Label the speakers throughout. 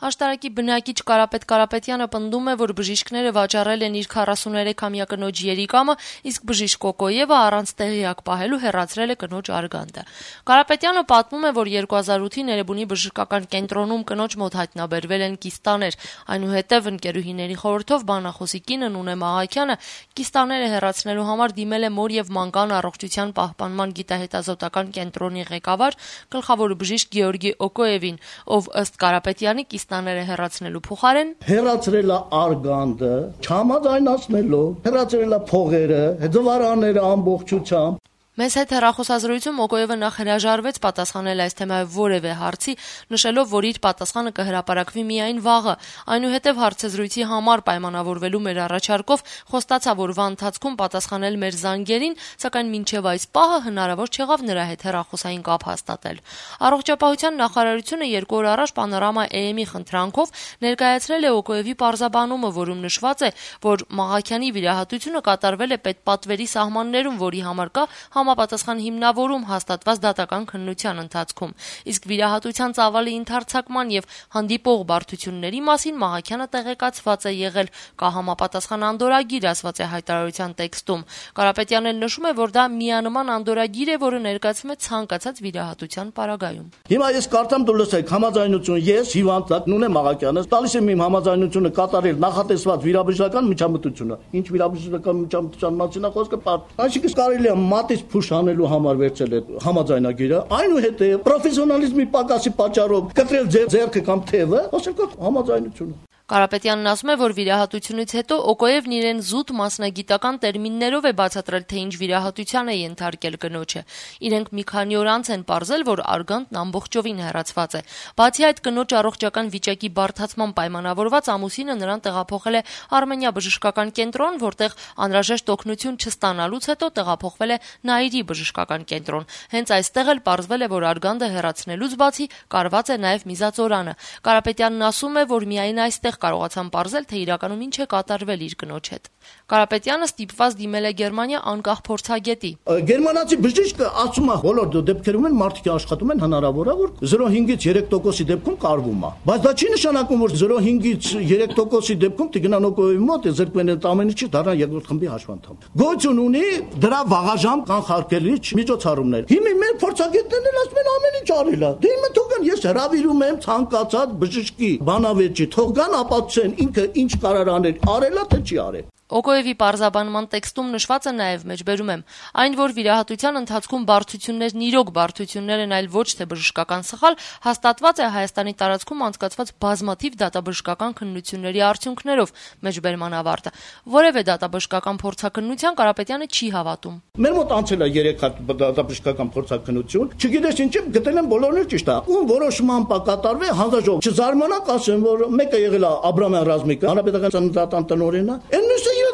Speaker 1: Աշտարակի բնակիչ Կարապետ Կարապետյանը պնդում է, որ բժիշկները վաճառել են իր 43-ամյա կնոջ երիկամը, իսկ բժիշկ Օկոևը առանց տեղյակ պահելու հեռացրել է կնոջ արգանդը։ Կարապետյանը պատմում է, որ 2008-ին Էրեբունի բժշկական կենտրոնում կնոջ մոտ հայտնաբերվել են կիստաներ, այնուհետև ընկերուհիների խորհրդով բանախոսի կինը Նունե Մաղաքյանը կիստաները հեռացնելու համար դիմել է մոր եւ մանկան առողջության պահպանման գիտահետազոտական կենտրոնի ղեկավար գլխավոր բժիշկ Գեորգի Օկոևին, ով ըստ Կարապետյանի կիստաները հեռացնելու փոխարեն
Speaker 2: հեռացրել է արգանդը, չհամաձայնացնելով, հեռացրել է փողերը, դվարանները ամբողջությամբ։
Speaker 1: Մեզ հետ հեռախոսազրույցում Օկոևը նախ հրաժարվեց պատասխանել այս թեմայով որևէ հարցի, նշելով, որ իր պատասխանը կհրապարակվի միայն վաղը, այնուհետև հարցազրույցի համար պայմանավորվելու մեր առաջարկով խոստացա, որ վա ընթացքում պատասխանել մեր զանգերին, սակայն մինչև այս պահը հնարավոր չեղավ նրա հետ հեռախոսային կապ հաստատել։ Առողջապահության նախարարությունը 2 օր առաջ Պանորամա AM-ի խնդրանքով ներկայացրել է Օկոևի պարզաբանումը, որում նշված է, որ Մաղաքյանի վիրահատությունը կատարվել է պետպատվերի սահմաններում, որի համար կա համապատասխան հիմնավորում հաստատված դատական քննության ընթացքում, իսկ վիրահատության ծավալի ընդարձակման եւ հանդիպող բարդությունների մասին Մաղաքյանը տեղեկացված է եղել, կա համապատասխան անդորրագիր, ասված է հայտարարության տեքստում։ Կարապետյանն էլ նշում է, որ դա միանման անդորրագիր է, որը ներկայացում է ցանկացած վիրահատության պարագայում։
Speaker 2: Հիմա ես կարծեմ դու լսեք համաձայնություն, ես հիվանդ Նունե Մաղաքյանը տալիս եմ իմ համաձայնությունը կատարել նախատեսված վիրաբժշկական միջամտությունը։ Ինչ վիրաբժշկական միջամտության մասին է խոսքը, այսինքն կարելի է մատից փուշ անելու համար վերցել է համաձայնագիրը, այնուհետև պրոֆեսիոնալիզմի պակասի պատճառով կտրել ձեռքը կամ թևը, ասել կա համաձայնությունը։
Speaker 1: Կարապետյանն ասում է, որ վիրահատությունից հետո Օկոևն իրեն զուտ մասնագիտական տերմիններով է բացատրել, թե ինչ վիրահատության է ենթարկել կնոջը։ Իրենք մի քանի օր անց են պարզել, որ արգանդն ամբողջովին հեռացված է։ Բացի այդ, կնոջ առողջական վիճակի բարդացման պայմանավորված ամուսինը նրան տեղափոխել է Արմենիա բժշկական կենտրոն, որտեղ անհրաժեշտ օգնություն չստանալուց հետո տեղափոխվել է Նաիրի բժշկական կենտրոն։ Հենց այստեղ էլ պարզվել է, որ արգանդը հեռացնելուց բացի կարված է նաև միզածորանը։ Կարապետյանն ասում է, որ միայն այստեղ կարողացան պարզել, թե իրականում ինչ է կատարվել իր կնոջ հետ։ Կարապետյանը ստիպված դիմել է Գերմանիա անկախ փորձագետի։
Speaker 2: Գերմանացի բժիշկը ասում է, բոլոր դեպքերում են մարդիկ աշխատում են հնարավոր է, որ 0.5-ից 3%-ի դեպքում կարվում է։ Բայց դա չի նշանակում, որ 0.5-ից 3%-ի դեպքում տիգնան Օկոևի մոտ զրկվել են ամենից չի դառնա երկրորդ խմբի հաշվանդամ։ Գոյություն ունի դրա վաղաժամ կանխարգելիչ միջոցառումներ։ Հիմա մեր փորձագետներն էլ ասում են ամեն ինչ արել է։ Դե հիմա թողան ես հրավիրում եմ ցանկացած բժշկի բանավեճի, թողան ապացուցեն ինքը ինչ կարող անել, արել է թե չի արել։
Speaker 1: Օկոևի պարզաբանման տեքստում նշված է նաև, մեջբերում եմ, այն, որ վիրահատության ընթացքում բարդություններն իրոք բարդություններ են, այլ ոչ թե բժշկական սխալ, հաստատված է Հայաստանի տարածքում անցկացված բազմաթիվ դատաբժշկական քննությունների արդյունքներով, մեջբերման ավարտը։ Որևէ դատաբժշկական փորձաքննության Կարապետյանը չի հավատում։
Speaker 2: Մեր մոտ անցել է 3 հատ դատաբժշկական փորձաքննություն, չգիտես ինչ եմ, գտել եմ բոլորն էլ ճիշտ է։ Ում որոշման կատարվի հանձնաժողով։ Չզարմանաք ասեմ, որ մեկը եղել է Աբրամյան Ռազմիկը, հանրապետական ծննդատան տնօրենը,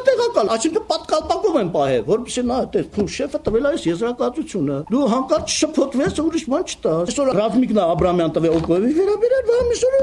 Speaker 2: տեղակալ, այսինքն պատկալպակում են պահել, որպեսզի նա այդպես շեֆը տվել է այս եզրակացությունը։ Դու հանկարծ շփոթվես, ուրիշ բան չտա։ Այսօր Ռազմիկն Աբրամյան տվել Օկոևի վերաբերել, այսօր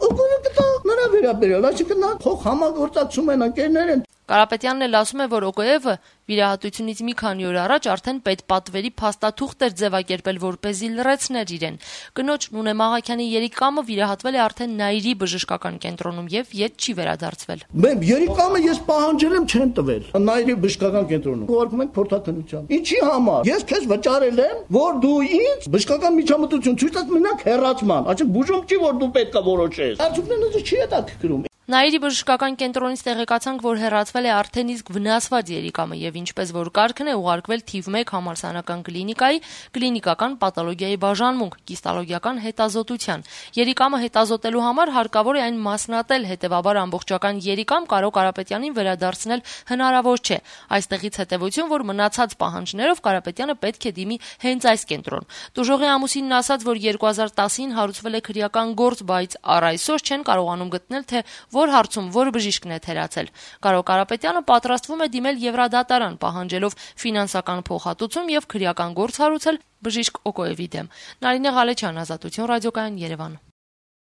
Speaker 2: Օկոևը կտա նրա վերաբերել, այսինքն նա փոխ համագործակցում են ընկերներ են։
Speaker 1: Կարապետյանն էլ ասում է, որ Օկոևը վիրահատությունից մի քանի օր առաջ արդեն պետպատվերի փաստաթուղթ էր ձևակերպել, որպեսզի լրացներ իրեն։ Կնոջ Նունե Մաղաքյանի երիկամը վիրահատվել է արդեն Նաիրի բժշկական կենտրոնում եւ ետ չի վերադարձվել։
Speaker 2: Երիկամը ես պահանջել եմ, չեն տվել։ Նաիրի բժշկական կենտրոնում ուղարկում ենք փորձաքննության։ Ինչի համար։ Ես քեզ վճարել եմ, որ դու ինձ բժշկական միջամտություն ցույց տաս մենակ հեռացման, այսինքն բուժում չի, որ դու պետք է որոշես։ Արդյունքները չի հետաքրքրում։
Speaker 1: Նաիրի բժշկական կենտրոնից տեղեկացանք, որ հեռացվել է արդեն իսկ վնասված երիկամը եւ ինչպես որ կարգն է ուղարկվել թիվ 1 համալսարանական կլինիկայի կլինիկական պաթոլոգիայի բաժանմունք կիստալոգիական հետազոտության։ Երիկամը հետազոտելու համար հարկավոր է այն մասնատել, հետեւաբար ամբողջական երիկամ Կարո Կարապետյանին վերադարձնել հնարավոր չէ։ Այստեղից հետևություն, որ մնացած պահանջներով Կարապետյանը պետք է դիմի հենց այս կենտրոն։ Տուժողի ամուսինն ասաց, որ 2010-ին հարուցվել է քրեական գործ, բայց առ այսօր չեն կարողանում գտնել, թե որ հարցում որ բժիշկն է թերացել։ Կարո Կարապետյանը պատրաստվում է դիմել Եվրադատարան, պահանջելով ֆինանսական փոխհատուցում եւ քրեական գործ հարուցել բժիշկ Օկոևի դեմ։ Նարինե Ղալեչյան, Ազատություն ռադիոկայան, Երևան։